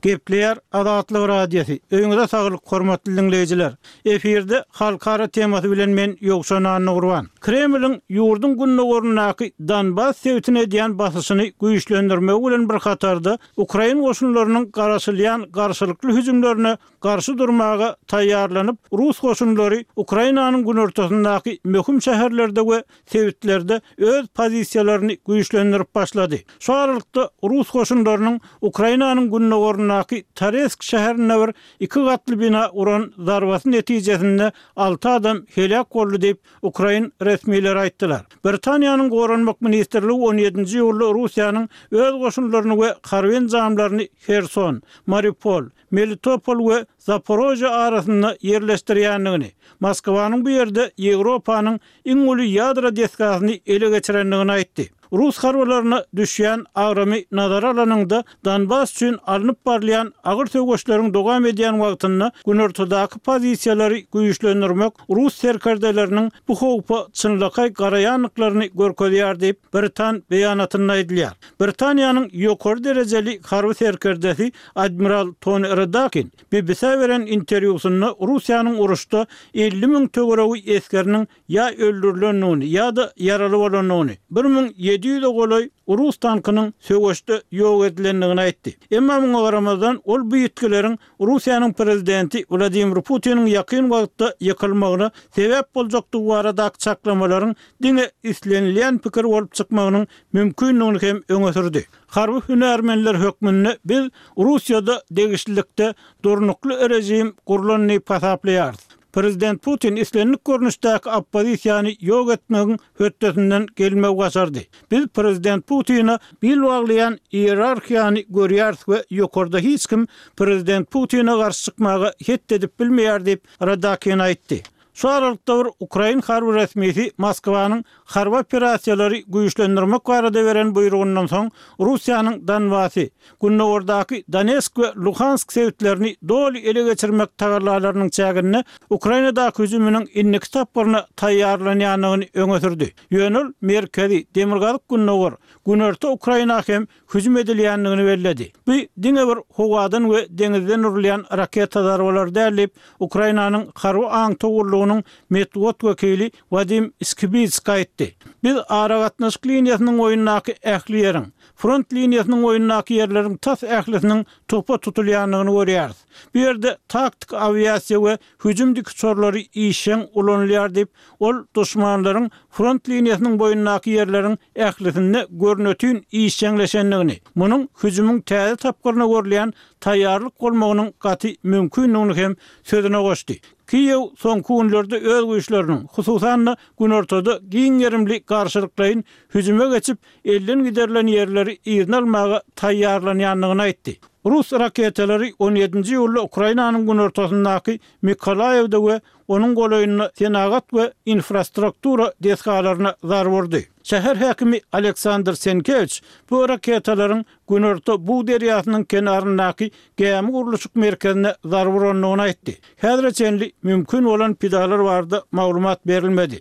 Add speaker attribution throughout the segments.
Speaker 1: Gepleýär Azatlyk Radiosy, Öýüňize saglyk hormatly diňleýjiler! Efirde Halkara temasy bilen men Ýowşan Annagurban. Kremliň ýurduň gündogaryndaky Donbas sebitine edýän basyşyny güýçlendirmegi bilen bir hatarda, ukrain goşunlarynyň garaşylýan garşylykly hüjümlerine garşy durmaga taýýarlanyp, rus goşunlary Ukrainanyň günortasyndaky möhüm şäherlerde we sebitlerde öz pozisiýalaryny güýçlendirip başlady. Şu aralykda, rus goşunlarynyň Ukrainanyň gündogaryndaky Toretsk şäherinde bir iki gatly bina uran zarbasy netijesinde alty adam heläk boldy diýip, ukrain resmileri aýtdylar. Britaniýanyň Goranmak ministrligi on ýedinji iýulda Russiýanyň öz goşunlaryny we harby enjamlaryny Herson, Mariupol, Melitopol we Zaporožýe arasynda ýerleşdirýändigini, Moskwanyň bu ýerde Ýewropanyň iň uly ýadro desgasyny ele geçirendigini aýtdy. Rus harbylaryna düşýän agramy nazara alanyňda, Donbas üçin alnyp barylýan agyr söweşleriň dowam edýän wagtynda günortadaky pozisiýalary güýçlendirmek rus serkerdeleriniň bu howpa çynlakaý garaýandyklaryny görkezýär diýip, britan beýanatynda aýdylýar. Britaniýanyň ýokary derejeli harby serkerdesi admiral Tony Radakin BBC-ä beren interwýusynda Russiýanyň uruşda 50 müň töweregi esgeriniň ýa öldürilendigini ýa-da ýaraly bolandygyny, 1700-e golaý rus tankynyň söweşde ýok edilendigini aýtdy. Emma muňa garamazdan, ol bu ýitgileriň Russiýanyň prezidenti Wladimir Putiniň ýakyn wagtda ýykylmagyna sebäp boljakdygy baradaky çaklamalaryň diňe islenilýän pikir bolup çykmagynyň mümkindigini hem öňe sürdi. Harby hünärmenler hökmünde biz Russiýada degişlilikde durnukly režim gurlan diýip hasaplaýarys. Prezident Putin islendik görnüşdäki oppozisiýany ýok etmegiň hötdesinden gelmegi başardy. Biz prezident Putine bil baglaýan iýerarhiýany görýäris we ýokarda hiç kim prezident Putine garşy çykmaga het edip bilmeýär diýip, Radakin aýtdy. Şu aralykda bir ukrain harby resmisi Moskwanyň harby operasiýalary güýçlendirmek barada beren buýrugyndan soň Russiýanyň Donbasy, gündogardaky Donetsk we Luhansk sebitlerini doly ele geçirmek tagallalarynyň çäginde Ukrainadaky hüjüminiň indiki tapgyryna taýýarlanýandygyny öňe sürdi. Ýöne ol merkezi, demirgazyk-gündogar, günorta Ukraina hem hüjüm edilýändigini belledi. Bu diňe bir howadan we deňizden urulýan raketa zarbalary däl diýip, Ukrainanyň harby aňtaw gullugynyň metbugat wekili Wadim Skibitsk aýtdy. Biz aragatnaşyk liniýasynyň boýundaky ähli ýeriň, front liniýasynyň boýundaky ýerleriň tas ählisiniň topa tutulýandygyny görýäris. Bu ýerde taktiki awiasiýa we hüjüm dikuçarlary işjeň ulanylýar diýip, ol duşmanlaryň front liniýasynyň boýundaky ýerleriň ählisinde görnetin işjeňleşendigini, munuň hüjümiň täze tapgyryna görülýän taýýarlyk bolmagynyň gaty mümkindigini hem sözüne goşdy. Kiýew soňky günlerde öz güýçleriniň, hususan-da, günortada giň gerimli garşylyklaýyn hüjüme geçip, elden giderilen ýerleri yzyna almaga taýýarlanýandygyny aýtdy. Rus raketalary on ýedinji iýulda Ukrainanyň günortasyndaky Mykolaýewde we onuň golaýynda senagat we infrastruktura desgalaryna zarba urdy. Şäher häkimi Aleksandr Senkewiç bu raketalaryň Günorta Bug derýasynyň kenaryndaky gämi gurluşyk merkezine zarba urandygyny aýtdy. Häzire çenli mümkin bolan pidalar barada maglumat berilmedi.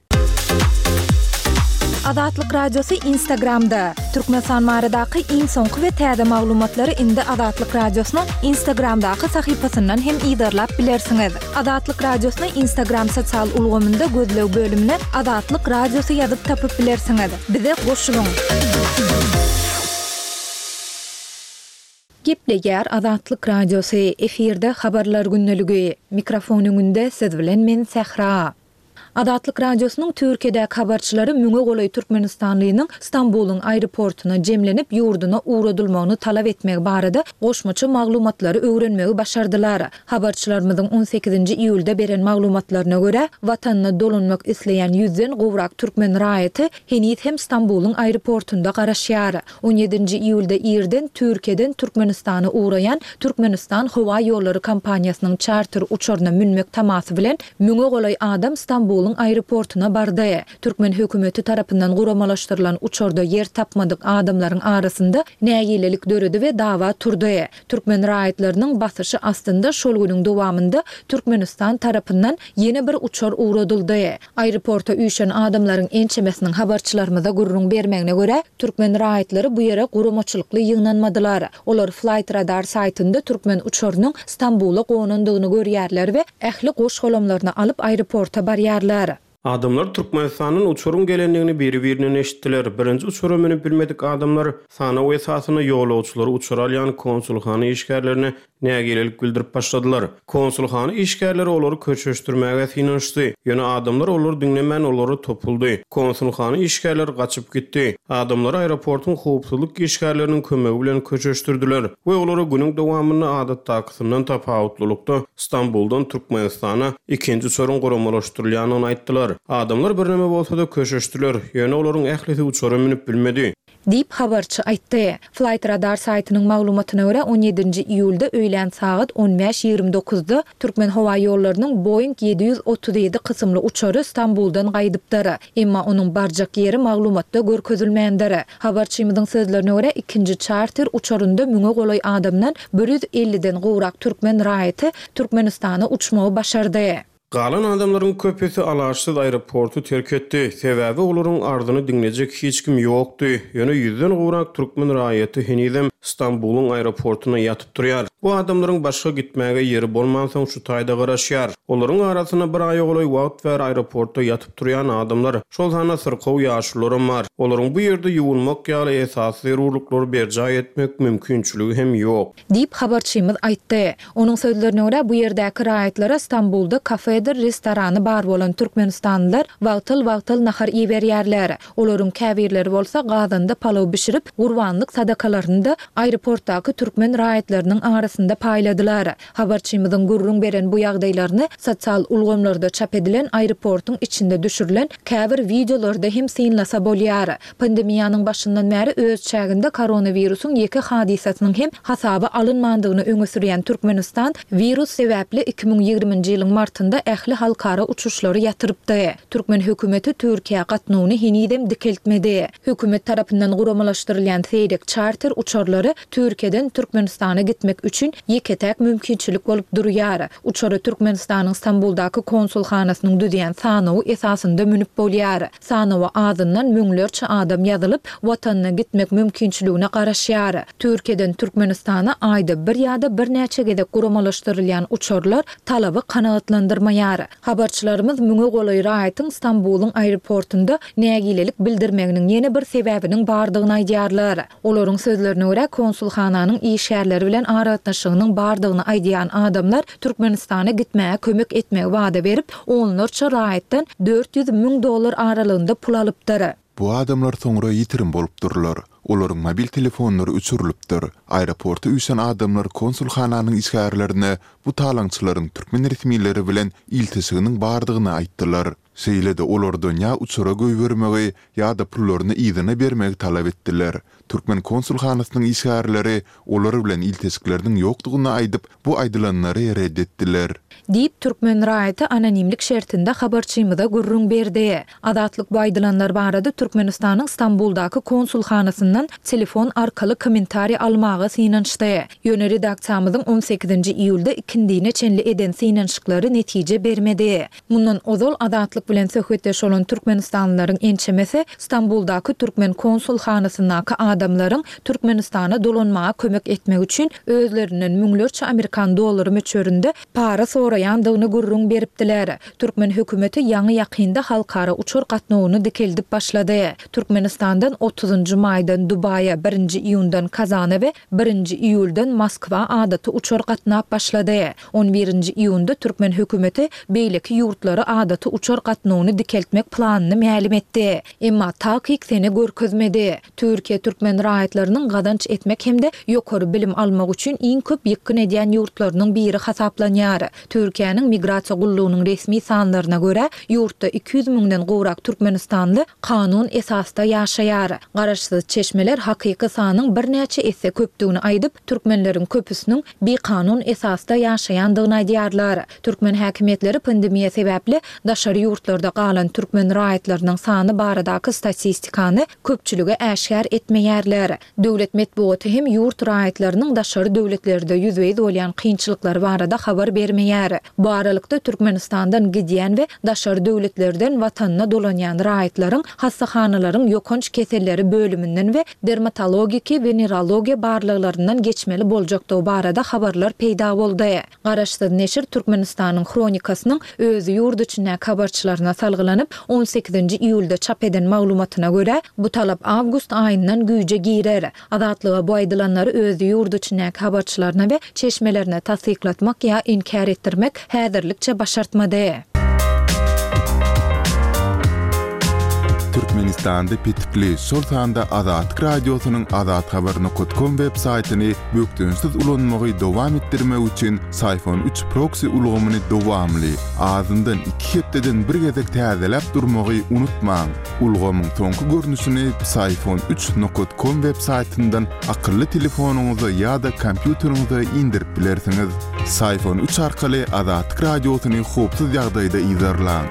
Speaker 2: Azatlyk Radiosy Instagramda, Türkmenistan baradaky iň soňky we täze maglumatlary indi Azatlyk Radiosynyň Instagramdaky sahypasyndan hem yzarlap bilersiňiz. Azatlyk Radiosyny Instagram sosial ulgamynda gözleg bölümine Azatlyk Radiosy ýazyp tapyp bilersiňiz. Bize goşulyň! Gepleýär Azatlyk Radiosy, efirde Habarlar gündeligi. Mikrofon öňünde siz bilen men Sähra. Azatlyk Radiosynyň Türkiýedäki habarçylary müňe golaý türkmenistanlynyň Stambulyň aeroportuna jemlenip, ýurduna ugradylmagyny talap etmegi barada goşmaça maglumatlary öwrenmegi başardylar. Habarçylarymyzyň on sekizinji iýulda beren maglumatlaryna görä, watanyna dolanmak isleýän ýüzden gowrak türkmen raýaty heniz hem Stambulyň aeroportunda garaşýar. On ýedinji iýulda irden Türkiýeden Türkmenistana ugraýan Türkmenistan howa ýollary kompaniýasynyň çarter uçaryna münmek tamasy bilen müňe golaý adam Stambulyň. Stambulyň aeroportuna bardy. Türkmen hökümeti tarapyndan guramalaşdyrylan uçarda ýer tapmadyk adamlaryň arasynda nägilelik döredi we dawa turdy. Türkmen raýatlarynyň basyşy astynda şol günüň dowamynda Türkmenistan tarapyndan ýene bir uçar ugradyldy. Aeroporta üýşen adamlaryň ençemesiniň habarçylarymyza gürrüň bermegine görä, türkmen raýatlary bu ýere guramaçylykly ýygnanmadylar. Olar Flightradar saýtynda türkmen uçarynyň Stambula gonandygyny görýärler we ähli goş-golamlaryny alyp aeroporta barýarlar.
Speaker 3: Adamlar Türkmenistandan uçaryň gelendigini biri-birinden eşitdiler. Birinji uçara münüp bilmedik adamlar sanaw esasynda ýolagçylary uçara alýan konsulhana işgärlerine nägilelik bildirip başladylar. Konsulhana işgärleri olary köşeşdirmäge synanyşdy. Ýöne adamlar olary diňlemän olara topuldy. Konsulhana işgärleri gaçyp gitdi. Adamlary aeroportuň howpsuzlyk işgärleriniň kömegi bilen köşeşdirdiler we olara günüň dowamynda adatdakysyndan tapawutlylykda Stambuldan Türkmenistana ikinji uçaryň guramalaşdyrylýandygyny aýtdylar. Adamlar birneme bolsa-da köşeşdiler, ýöne olaryň ählisi uçara münüp bilmedi.
Speaker 2: Diýip, habarçy aýtdy. Flightradar saýtynyň maglumatyna görä, on ýedinji iýulda öýlän sagat on bäş 29-da Türkmenhowaýollarynyň Boeing 737 kysymly uçary Stambuldan gaýdypdyr. Emma onuň barjak ýeri maglumatda görkezilmändir. Habarçymyzyň sözlerine görä, ikinji çarter uçarynda müňe golaý adamdan bir ýüz elliden gowrak türkmen raýaty Türkmenistana uçmagy başardy.
Speaker 3: Galan adamlaryň köpüsi alaçsyz aeroporty terk etdi, sebäbi olaryň arzyny diňlejek hiç kim ýokdy. Ýöne ýüzden gowrak türkmen raýaty henizem Stambulyň aeroportynda ýatyp durýar. Bu adamlaryň başga gitmäge ýeri bolmansoň şu taýda garaşýar. Olaryň arasynda bir aýa golaý wagt bäri aeroportda ýatyp turýan adamlar, şol sanda syrkaw ýaşulularam bar. Olaryň bu ýerde ýuwunmak ýaly esasy zerurlyklary berjaý etmek mümkinçiligi hem ýok.
Speaker 2: Diýip, habarçymyz aýtdy. Onuň sözlerine görä, bu ýerdäki raýatlara Stambulda kafedir restorany bar bolan türkmenistanlylar wagtal-wagtal nahar iberýärler. Olaryň käbirleri bolsa gazanda palaw bişirip, gurbanlyk sadakalaryny-da aeroportdaky türkmen raýatlarynyň arasynda paýladylar. Habarçymyzyň gürrüň beren bu ýagdaýlaryny sosial ulgamlarda çap edilen aeroportuň içinde düşürilen käbir wideolarda hem synlasa bolýar. Pandemiýanyň başyndan bäri öz çäginde koronawirusyň ýeke hadysasynyň hem hasaba alynmandygyny öňe sürýän Türkmenistan wirus sebäpli 2020-nji ýylyň martynda ähli halkara uçuşlary ýatyrypdy. Türkmen hökümeti Türkiýä gatnawyny henizem dikeltmedi. Hökümet tarapyndan guramalaşdyrylýan seýrek çarter uçarlary Türkiýeden Türkmenistana gitmek üçin ýeke-täk mümkinçilik bolup durýar. Uçara Türkmenistanyň Stambuldaky konsulhanasynyň düzýän sanawy esasynda münüp bolýar. Sanawa azyndan müňlerçe adam ýazylyp, watanyna gitmek mümkinçiligine garaşýar. Türkiýeden Türkmenistana aýda bir ýa-da birnäçe gezek guramalaşdyrylýan uçarlar talaby kanagatlandyrmaýar. Habarçylarymyz müňe golaý raýatyň Stambulyň aeroportunda nägilelik bildirmeginiň ýene bir sebäbiniň bardygyny aýdýarlar. Olaryň sözlerine görä, konsulhananyň işgärleri bilen aragatnaşygynyň bardygyny aýdýan adamlar Türkmenistana gitmäge kömek etmegi wada berip, onlarça raýatdan 400 müň dollar aralygynda pul alypdyr.
Speaker 4: Bu adamlar soňra ýitirim bolupdyrlar. Olaryň mobil telefonlary öçürilipdir. Aeroporta üýşen adamlar konsulhananyň işgärlerine bu talaňçylaryň türkmen resmileri bilen ilteşiginiň bardygyny aýtdylar. Şeýle-de olardan ýa uçara goýbermegi, ýa-da pullaryny yzyna bermegi talap etdiler. Türkmen konsulhanasynyň işgärleri olar bilen ilteşikleriniň ýokdugyny aýdyp, bu aýdylanlary ret etdiler.
Speaker 2: Diýip, türkmen raýaty anonimlik şertinde habarçymyza gürrüň berdi. Azatlyk bu aýdylanlar barada Türkmenistanyň Stambuldaky konsulhanasyndan telefon arkaly kommentariý almaga synanyşdy. Ýöne redaksiýamyzyň on sekizinji iýulda ikindine çenli eden synanyşyklary netije bermedi. Mundan ozal Azatlyk bilen söhbetdeş bolan türkmenistanlylaryň ençemesi Stambuldaky türkmen konsulhanasyndaky adamlaryň Türkmenistana dolanmaga kömek etmek üçin özlerinden müňlerçe amerikan dollary möçberinde para soraýandygyny gürrüň beripdiler. Türkmen hökümeti ýaňy-ýakynda halkara uçar gatnawyny dikeldip başlady. Türkmenistandan otuzynjy maýdan Dubaýa, birinji iýundan Kazana we birinji iýuldan Moskwa adaty uçar gatnap başlady. On birinji iýunda türkmen hökümeti beýleki ýurtlara adaty uçar gatnawyny dikeltmek planyny mälim etdi. Emma takyk sene görkezmedi. Türkiýe türkmen raýatlarynyň gazanç etmek hem-de ýokary bilim almak üçin iň köp ýykgyn edýän ýurtlarynyň biri hasaplanýar. Türkiýäniň Migrasiýa gullugynyň resmi sanlaryna görä, ýurtda 200 müňden gowrak türkmenistanly kanun esasda ýaşaýar. Garaşsyz çeşmeler hakyky sanyň birnäçe esse köpdügini aýdyp, türkmenleriň köpüsiniň bikanun esasda ýaşaýandygyny aýdýarlar. Türkmen häkimiýetleri pandemiýa sebäpli daşary ýurtlardan. ýurtlarda galan türkmen raýatlarynyň sany baradaky statistikany köpçülige äşgär etmeýärler. Döwlet metbugaty hem ýurt raýatlarynyň daşary döwletlerde ýüzbe-ýüz bolýan kynçylyklary barada habar bermeýär. Bu aralykda, Türkmenistandan gidýän we daşary döwletlerden watanyna dolanýan raýatlaryň hassahanalaryň ýokanç keselleri bölüminden we dermatologiki, wenerologiýa barlaglaryndan geçmeli boljakdygy barada habarlar peýda boldy. Garaşsyz neşir Türkmenistanyň Hronikasynyň öz ýurt içindäki habarçylaryna salgylanyp, on sekizinji iýulda çap eden maglumatyna görä, bu talap awgust aýyndan güýje girer. Azatlyga bu aýdylanlary öz ýurt içindäki habarçylaryna we çeşmelerine tassyklatmak ýa inkär etdirmek häzirlikçe başartmady.
Speaker 4: Türkmenistanda petikli, şol sanda Azatlyk Radiosynyň azathabar nokat kom web saýtyny bökdençsiz ulanmagy dowam etdirmek üçin Syphon üç proksi ulgamyny dowamly, azyndan iki hepdeden bir gezek täzeläp durmagy unutmaň. Ulgamyň soňky görnüşini Psiphon üç nokat kom web saýtyndan akylly telefonyňyza ýa-da kompýuteriňize indirip bilersiňiz. Psiphon üç arkaly Azatlyk Radiosyny howpsuz ýagdaýda yzarlaň.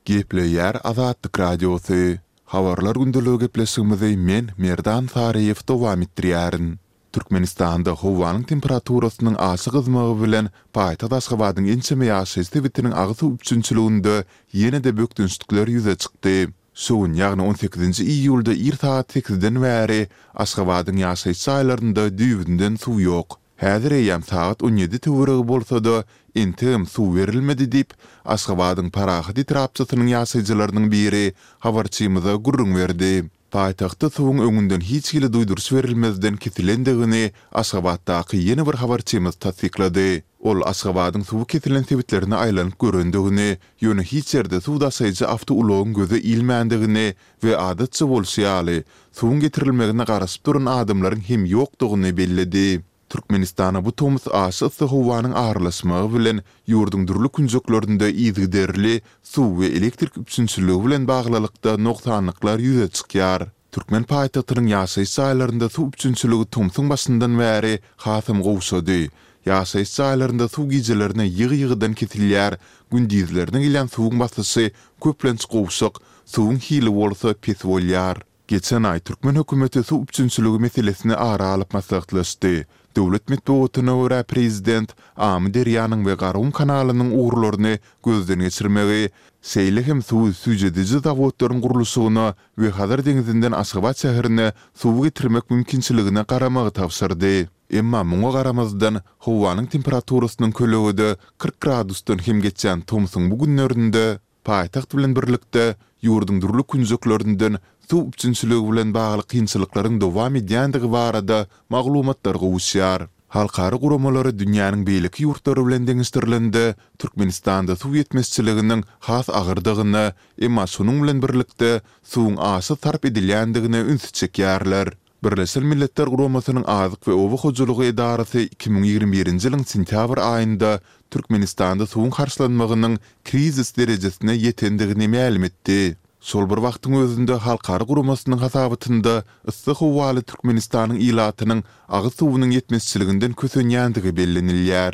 Speaker 4: Gepleýär Azatlyk Radiosy. Habarlar gündeligi gepleşigimizi men, Merdan Saryýew dowam etdirýärin. Türkmenistanda howanyň temperaturasynyň aşa gyzmagy bilen paýtagt Aşgabadyň ençeme ýaşaýyş sebitiniň agyz suw üpjünçiliginde ýene-de bökdençlikler ýüze çykdy. Şu gün, ýagny on sekizinji iýulda ir sagat sekizden bäri Aşgabadyň ýaşaýyş jaýlarynda düýbünden suw ýok. Häzir eýýäm sagat on ýedi töweregi bolsa-da, entegem suw berilmedi diýip, Aşgabadyň Parahat etrapçasynyň ýaşaýjylarynyň biri habarçymyza gürrüň berdi. Paýtagtda suwuň öňünden hiç hili duýduryş berilmezden kesilendigini Aşgabatdaky ýene bir habarçymyz tassyklady. Ol Aşgabadyň suwy kesilen sebitlerine aýlanyp görendigini, ýöne hiç ýerde suw daşaýjy awtoulagyň göze ilmändigini we adatça bolşy ýaly, suwuň getirilmegine garaşyp duran adamlaryň hem ýokdugyny belledi. Türkmenistana bu tomus aşa yssy howanyň aralaşmagy bilen ýurduň dürli künjeklerinde yzygiderli suw we elektrik üpjünçiligi bilen baglylykda nogsanlyklar ýüze çykýar. Türkmen paýtagtynyň ýaşaýyş jaýlarynda suw üpjünçiligi tomsuň başyndan bäri hasam gowşady. Ýaşaýyş jaýlarynda suw gijelerine ýygy-ýygydan kesilýär, gündizlerine gelýän suwuň basyşy köplenç gowşak, suwuň hili bolsa pes bolýar. Geçen aý türkmen hökümeti suw üpjünçiligi meselesini ara alyp maslahatlaşdy. Döwlet metbugatyna görä, prezident Amyderýanyň we Garagum kanalynyň ugurlaryny gözden geçirmegi, şeýle hem suwy süýjediji zawodlaryň gurluşygyna we Hazar deňzinden Aşgabat şäherine suwy getirmek mümkinçiligine garamagy tabşyrdy. Emma muňa garamazdan, howanyň temperaturasynyň kölegede 40 gradusdan hem geçýän tomsuň bu günlerinde, Paýtagt bilen birlikde, ýurduň dürli künjeklerinden suw üpjünçiligi bilen bagly kynçylyklaryň dowam edýändigi barada maglumatlar gowuşýar. Halkara guramalary dünýäniň beýleki ýurtlary bilen deňeşdirilende, Türkmenistanda suw ýetmezçiliginiň has agyrdygyna, emma şonuň bilen birlikde, suwuň aşa sarp edilýändigine ünsi çekýärler. Birleşen Milletler Guramasynyň Azyk we oba hojalygy edarasy 2021-nji ýylyň sentýabr aýynda Türkmenistanda suwuň harçlanmagynyň krizis derejesine ýetendigini mälim etdi. Şol bir wagtyň özünde halkara guramasynyň hasabatynda yssy howaly Türkmenistanyň ilatynyň agyz suwunyň ýetmezçiliginden kösenýändigi bellenilýär.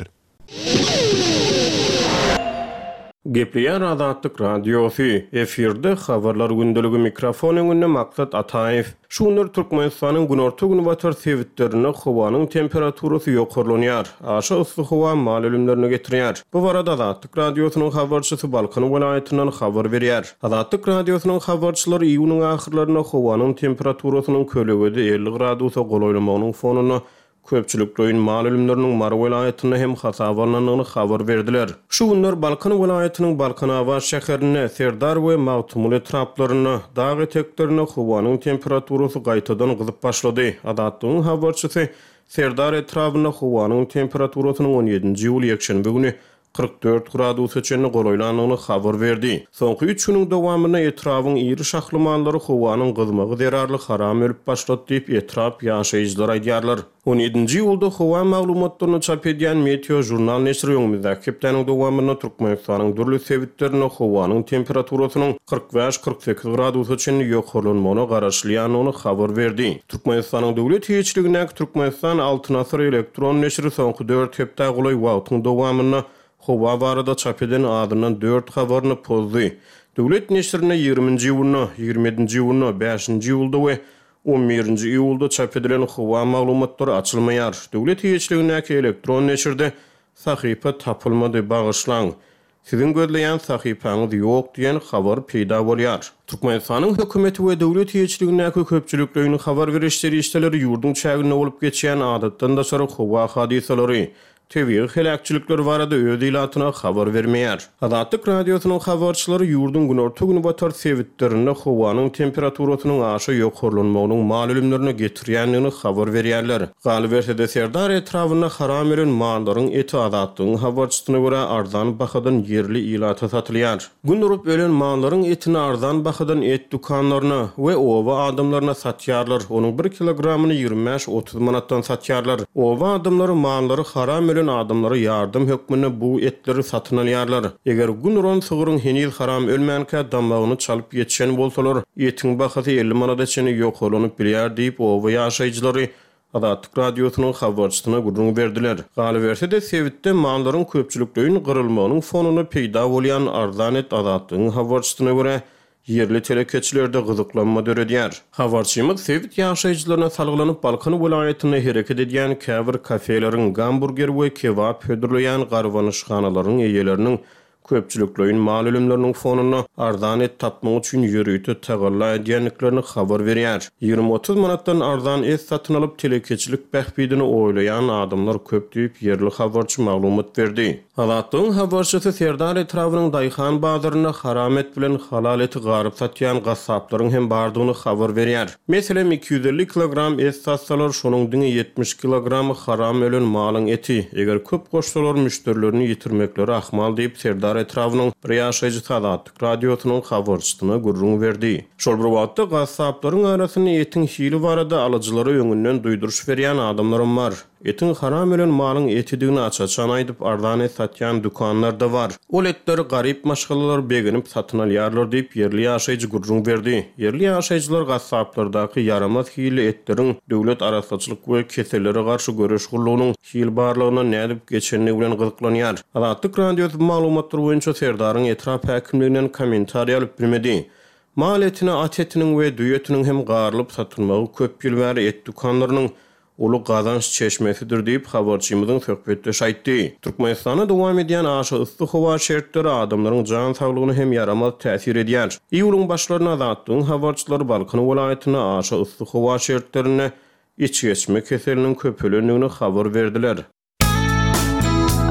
Speaker 3: Gepleýär Azatlyk Radiosy, efirde Habarlar gündeligi mikrofon öňünde Maksat Ataýew. Şu günler Türkmenistanyň günorta-günbatar sebitlerinde howanyň temperaturasy ýokarlanýar. Aşa yssy howa mal ölümlerine getirýär. Bu barada Azatlyk Radiosynyň habarçysy Balkan welaýatyndan habar berýär. Azatlyk Radiosynyň habarçylary iýunyň ahyrlarynda howanyň temperaturasynyň kölegede 50 gradusa golaýlamagynyň fonunda Köpçülikleýin mal ölümleriniň Mary welaýatynda hem hasaba alnandygyny habar berdiler. Şu günler Balkan welaýatynyň Balkanabat şäherinde, Serdar we Magtymguly etraplarynda, dag eteklerinde howanyň temperaturasy gaýtadan gyzyp başlady. Azatlygyň habarçysy Serdar etrabynda howanyň temperaturasynyň on ýedinji iýul ýekşenbe güni 44 gradusa çenli golaýlandygyny habar berdi. Soňky üç günüň dowamynda etrabyň iri şahly mallary howanyň gyzmagy zerarly haram ölüp başlady diýip, etrap ýaşaýjylary aýdýarlar. On ýedinji iýulda howa maglumatlaryny çap edýän Meteo žurnal neşiri öňümizdäki hepdäniň dowamynda Türkmenistanyň dürli sebitlerinde howanyň temperaturasynyň 45-48 gradusa çenli ýokarlanmagyna garaşylýandygyny habar berdi. Türkmenistanyň döwlet eýeçiligindäki Türkmenistan Altyn asyr elektron neşiri soňky dört hepdä golaý wagtyň dowamynda. howa barada çap eden azyndan dört habaryny pozdy. Döwlet neşirinde ýigriminji iýunda, 27-nji iýunda, bäşinji iýulda we on birinji iýulda çap edilen howa maglumatlary açylmaýar. Döwlet eýeçiligindäki elektron neşirde sahypa tapylmady, bagyşlaň. Siziň gözleýän sahypaňyz ýok diýen habar peýda bolýar. Türkmenistanyň hökümeti we döwlet eýeçiligindäki köpçülikleýin habar beriş serişdeleri ýurduň çäginde bolup geçýän adatdan daşary howa hadysalary, tebigy heläkçilikler barada öz ilatyna habar bermeýär. Azatlyk Radiosynyň habarçylary ýurduň günorta-günbatar sebitlerinde howanyň temperaturasynyň aşa ýokarlanmagynyň mal ölümlerine getirýändigini habar berýärler. Galyberse-de, Serdar etrabynda haram ölen mallaryň eti Azatlygyň habarçysyna görä arzan bahadan ýerli ilata satylýar. Gün urup ölen mallaryň etini arzan bahadan et dükanlaryna we oba adamlaryna satýarlar, onuň bir kilogramyny 25-30 manatdan satýarlar. Oba adamlary mallary haram ölen adamlara ýardam hökmünde bu etleri satyn alýarlar. Eger gün uran sygryň heniz haram ölmänkä damagyny çalyp ýetişen bolsalar, etiň bahasy 50 manada çenli ýokarlanyp bilýär diýip, oba ýaşaýjylary Azatlyk Radiosynyň habarçysyna gürrüň berdiler. Galyberse-de, sebitde mallaryň köpçülikleýin gyrylmagynyň fonunda peýda bolýan arzan et Azatlygyň habarçysyna görä, ýerli telekeçilerde gyzyklanma döredýär. Habarçymyz sebit ýaşaýjylaryna salgylanyp, Balkan welaýatynda hereket edýän käbir kafeleriň, gamburger we kebap hödürleýän garbanyşhanalaryň eýeleriniň köpçülikleýin mal ölümleriniň fonunda arzan et tapmak üçin ýörite tagalla edýändiklerini habar berýär. 20-30 manatdan arzan et satyn alyp, telekeçilik bähbidini oýlaýan adamlar köp diýip, ýerli habarçy maglumat berdi. Azatlygyň habarçysy Serdar etrabynyň daýhan bazarynda haram et bilen halal eti garyp satýan gassaplaryň hem bardygyny habar berýär. Meselem, 250 kilogram et satsalar, şonuň diňe 70 kilogramy haram ölen malyň eti. Eger köp goşsalar, müşderilerini ýitirmekleri ahmal diýip, Serdar etrabynyň bir ýaşaýjysy Azatlyk Radiosynyň habarçysyna gürrüň berdi. Şol bir wagtda, gassaplaryň arasynda etiň hili barada alyjylara öňünden duýduryş berýän adamlaram bar. Etiň haram ölen malyň etidigini aç-açan aýdyp, arzan et satýan dükanlar-da bar. Ol etleri garyp maşgalalar begenip satyn alýarlar diýip, ýerli ýaşaýjy gürrüň berdi. Ýerli ýaşaýjylar gassaplardaky ýaramaz hilli etleriň Döwlet arassaçylyk we kesellere garşy göreş gullugynyň hil barlagyndan nädip geçendigi bilen gyzyklanýar. Azatlyk Radiosy bu maglumatlar boýunça Serdaryň etrap häkimliginden kommentariý alyp bilmedi. Mal etine at etiniň we düýe etiniň hem garylyp satylmagy köp ýyl bäri et dükanlarynyň uly gazanç çeşmesidir diýip, habarçymyzyň söhbetdeşi aýtdy. Türkmenistanda dowam edýän aşa yssy howa şertleri adamlaryň jan saglygyna hem ýaramaz täsir edýär. Iýulyň başlarynda Azatlygyň habarçylary Balkan welaýatynda aşa yssy howa şertlerinde içgeçme keseliniň köpelendigini habar berdiler.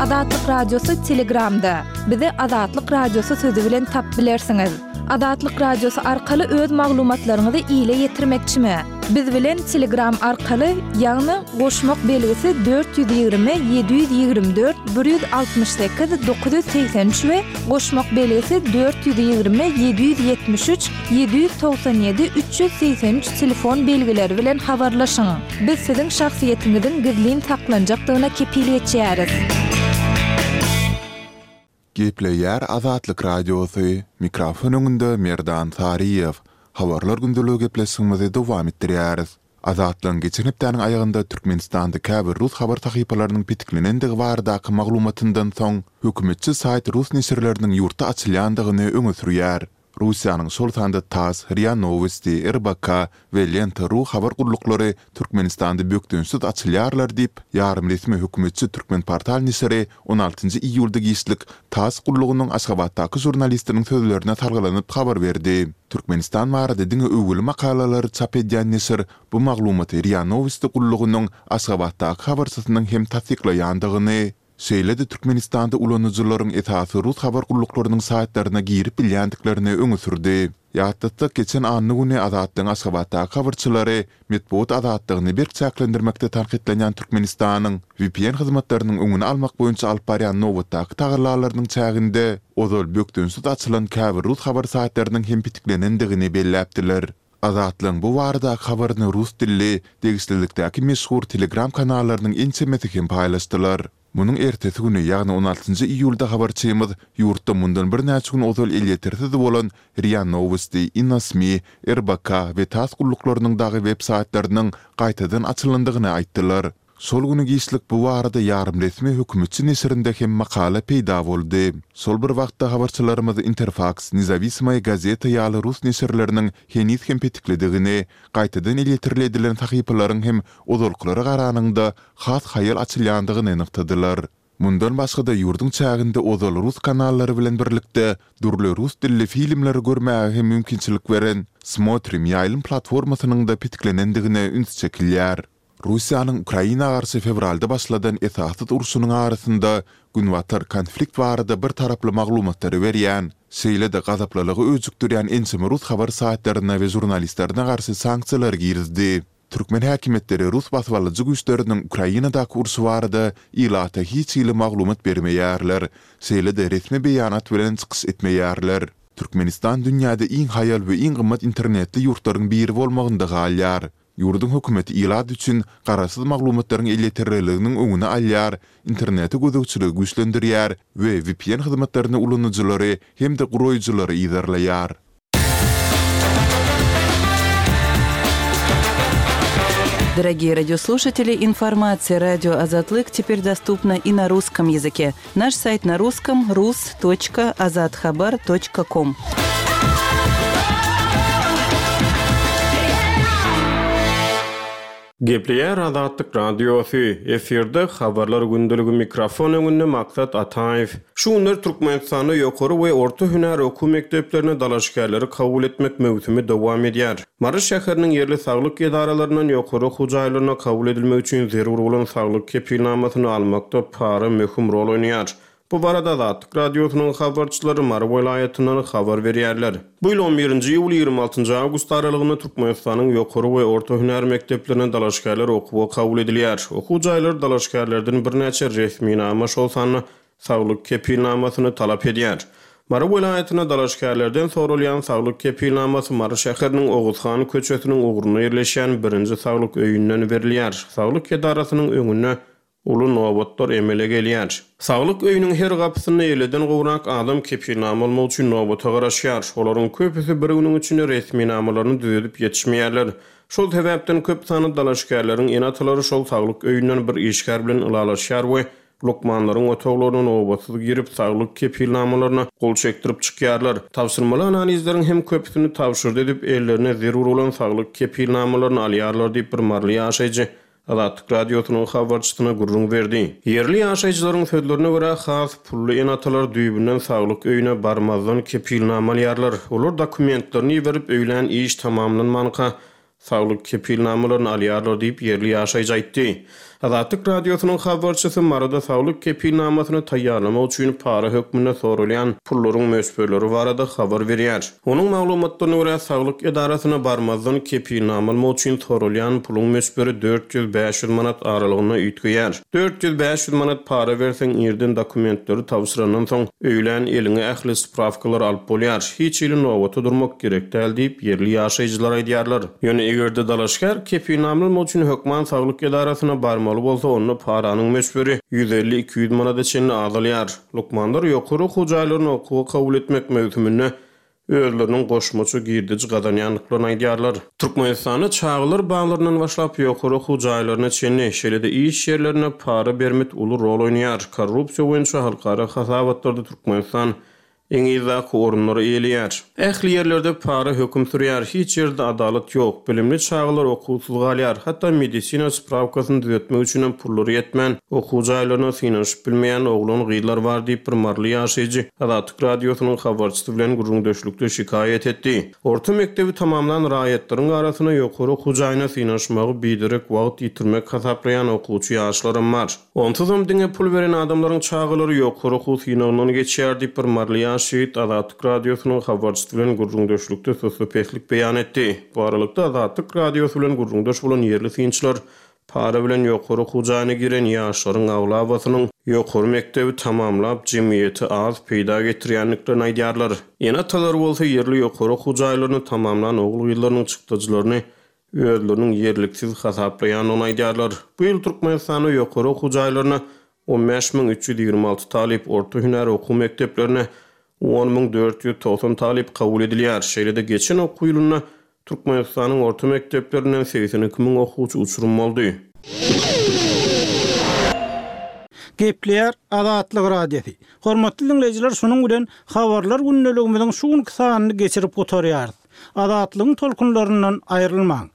Speaker 2: Azatlyk Radiosy Telegramda. Bizi Azatlyk Radiosy sözi bilen tap bilersiňiz. Azatlyk Radiosy arkaly öz maglumatlaryňyzy ile ýetirmekçimi? Biz bilen Telegram arkaly, ýagny goşmak belgisi 420 724 168 983 we goşmak belgisi 420 773 797 383 telefon belgileri bilen habarlaşyň. Biz siziň şahsyýetiňiziň gizlin saklanjakdygyna kepil geçýäris.
Speaker 4: Gepleýär Azatlyk Radiosy, mikrofon öňünde Merdan Saryýew. Habarlar gündeligi gepleşigimizi dowam etdirýäris. Azatlygyň geçen hepdäniň aýagynda Türkmenistanda käbir rus habar sahypalarynyň petiklenendigi baradaky maglumatyndan soň, hökümetçi saýt rus neşirleriniň ýurtda açylýandygyny öňe sürýär. Russiýanyň şol sanda tass, ria Nowosti, RBK we Lenta. Ru habar gulluklary Türkmenistanda bökdençsiz açylýarlar diýip, ýarym resmi hökümetçi Türkmenportal neşiri on altynjy iýulda giçlik tass gullugynyň Aşgabatdaky žurnalistiniň sözlerine salgylanyp habar berdi. Türkmenistan barada diňe öwgüli makalalary çap edýän neşir bu maglumaty ria Nowosti gullugynyň Aşgabatdaky habarçysynyň hem tassyklaýandygyny, Şeýle-de Türkmenistanda ulanyjylaryň esasy rus habar gulluklarynyň saýtlaryna girip bilýändiklerini öňe sürdi. Ýatlatsak, geçen anna güni Azatlygyň Aşgabatdaky habarçylary metbugat azatlygyny berk çäklendirmekde tankytlanýan Türkmenistanyň vpn hyzmatlarynyň öňüni almak boýunça alyp barýan nobatdaky tagallalarynyň çäginde ozal bökdençsiz açylan käbir rus habar saýtlarynyň hem petiklenendigini belläpdiler. Azatlygyň bu baradaky habaryny rus dilli, degişlilikdäki meşhur Telegram kanallarynyň ençemesi hem paýlaşdylar. Munuň ertesi güni, ýagny on altynjy iýulda habarçymyz ýurtda mundan birnäçe gün ozal elýetersiz bolan ria Nowosti, InoSMI, RBK we tass gulluklarynyň dagy web saýtlarynyň gaýtadan açylandygyny aýtdylar. Şol güni giçlik bu barada ýarym-resmi hökümetçi neşirinde hem makala peýda boldy. Şol bir wagtda habarçylarymyz Interfaks, Nezawisimoýa gazeta ýaly rus neşirleriniň heniz hem petiklidigini, gaýtadan elýeterli edilen sahypalaryň hem ozalkylara garanyňda has haýal açylýandygyny nygtadylar. Mundan başga-da ýurduň çäginde ozal rus kanallary bilen birlikde dürli rus dilli filmleri görmäge hem mümkinçilik beren Smotrim ýaýlym platformasynyň-da petiklenendigine üns çekilýär. Russiýanyň Ukraina garşy fewralda başladan esassyz urşunyň arasynda Günbatar konflikt barada bir taraply maglumatlary berýän, şeýle-de gazaplylygy öjükdirýän ençeme rus habar saýtlaryna we žurnalistlerine garşy sanksiýalary girizdi. Türkmen häkimiýetleri rus basybalyjy güýçleriniň Ukrainadaky urşy barada ilata hiç hili maglumat bermeýärler, şeýle-de resmi beýanat bilen çykyş etmeýärler. Türkmenistan dünýäde iň haýal we iň gymmat internetli ýurtlaryň biri bolmagynda galýar. Ýurduň hökümeti ilat üçin garaşsyz maglumatlaryň elýeterliliginiň öňüni alýar, internete gözegçiligi güýçlendirýär we vpn hyzmatlaryny ulanyjylary hem-de guraýjylary yzarlaýar.
Speaker 5: Дорогие радиослушатели, информация радио Азатлык теперь доступна и на русском языке. Наш сайт на русском rus.azathabar.com.
Speaker 3: Gepleýär Azatlyk Radiosy, efirde Habarlar gündeligi mikrofon öňünde Maksat Ataýew. Şu günler Türkmenistanda ýokary we orta hünär okuw mekdeplerine dalaşgärleri kabul etmek möwsümi dowam edýär. Mary şäheriniň ýerli saglyk edaralaryndan ýokary okuw jaýlaryna kabul edilmek üçin zerur bolan saglyk kepilnamasyny almakda para möhüm rol oýnaýar. Bu barada Azatlyk Radiosynyň habarçylary Mary welaýatyndan habar berýärler. Bu ýyl on birinji iýul, 26 awgust aralygynda Türkmenistanyň ýokary we orta hünär mekdeplerine dalaşgärler okuwa kabul edilýär. Okuw jaýlary dalaşgärlerden birnäçe resminama, şol sanda saglyk kepilnamasyny talap edýär. Mary welaýatynda dalaşgärlerden soralýan saglyk kepilnamasy Mary şäheriniň Oguzhan köçesiniň ugrunda ýerleşýän birinji saglyk öýünden berilýär. Saglyk edarasynyň öňünde Uly nobatlar emele gelýär. Saglyk öýüniň her gapysynda elliden gowrak adam kepilnama almak üçin nobata garaşýar. Olaryň köpüsi bir günüň içinde resminamalaryny düzedip ýetişmeýärler. Şol sebäpden köp sanly dalaşgärleriň ene-atalary şol saglyk öýünden bir işgär bilen ylalaşýar we lukmanlaryň otaglaryna nobatsyz girip, saglyk kepilnamalaryna gol çekdirip çykýarlar. Tabşyrmaly analizleriň hem köpüsini tabşyrdy edip, ellerine zerur bolan saglyk kepilnamalaryny alýarlar diýip, bir maryly ýaşaýjy Azatlyk Radiosynyň habarçysyna gürrüň berdi. Ýerli ýaşaýjylaryň sözlerine görä, has pully ene-atalar düýbünden saglyk öýüne barmazdan kepilnama alýarlar. Olar dokumentlerini iberip, öýlän iş tamamlanmanka, saglyk kepilnamalaryny alýarlar diýip, ýerli ýaşaýjy aýtdy. Azatlyk Radiosynyň habarçysy Maryda saglyk kepilnamasyny taýýarlamak üçin para hökmünde soralýan pullaryň möçberleri barada habar berýär. Onuň maglumatlaryna görä, saglyk edarasyna barmazdan kepilnama almak üçin soralýan puluň möçberi 400-500 manat aralygynda üýtgeýär. 400-500 manat para berseň, irden dokumentleri tabşyrandan soň, öýlän eliňe ähli sprawkalary alyp bolýar. Hiç hili nobata durmak gerek däl diýip, ýerli ýaşaýjylar aýdýarlar. Ýöne eger-de dalaşgär kepilnama almak üçin hökman saglyk edarasyna barmaly bolsa, onda paranyň möçberi 150-200 manada çenli azalýar. Lukmanlar ýokary okuw jaýlaryna okuwa kabul etmek möwsüminde özleriniň goşmaça girdeji gazanýandyklaryny aýdýarlar. Türkmenistanda çagalar baglaryndan başlap ýokary okuw jaýlaryna çenli, şeýle-de iş ýerlerinde para bermit uly rol oýnaýar. Korrupsiýa boýunça halkara hasabatlarda Türkmenistan iň yzdaky orunlary eýeleýär. Ähli ýerlerde para höküm sürýär, hiç ýerde adalat ýok, bilimli çagalar okuwsyz galýar, hatda medisina sprawkasyny düzetmek üçinem pullary ýetmän, okuw jaýlaryna synanyşyp bilmeýän oglan-gyzlar bar diýip, bir maryly ýaşaýjy Azatlyk Radiosynyň habarçysy bilen gürrüňdeşlikde şikaýat etdi. Orta mekdebi tamamlan raýatlaryň arasynda ýokary okuw jaýyna synanyşmagy biderek wagt ýitirmek hasaplaýan okuwçy ýaşlaram bar. Onsuzam diňe pul beren adamlaryň çagalary ýokary okuw synagyndan geçýär diýip, bir maryly ýaş ýigit Azatlyk Radiosynyň habarçysy bilen gürrüňdeşlikde sussupeslik beýan etdi. Bu aralykda, Azatlyk Radiosy bilen gürrüňdeş bolan ýerli synçylar para bilen ýokary okuw jaýyna giren ýaşlaryň aglabasynyň ýokary mekdebi tamamlap, jemgyýete az peýda getirýändiklerini aýdýarlar. Ene-atalary bolsa ýerli ýokary okuw jaýlaryny tamamlan ogul-gyzlarynyň çykdajylaryny özleriniň ýerliksiz hasaplaýandygyny aýdýarlar. Bu ýyl Türkmenistanda ýokary okuw jaýlaryna 15 326 talyp, orta hünär okuw mekdeplerine 10 490 talyp kabul edilýär. Şeýle-de geçen okuw ýylynda Türkmenistanyň orta mekdeplerinden 82 müň okuwçy uçurym boldy.
Speaker 1: Gepleýär Azatlyk Radiosy. Hormatly diňleýjiler şunuň bilen Habarlar gündeligimiziň şu günki sanyny geçirip gutarýarys. Azatlygyň tolkunlaryndan aýrylmaň.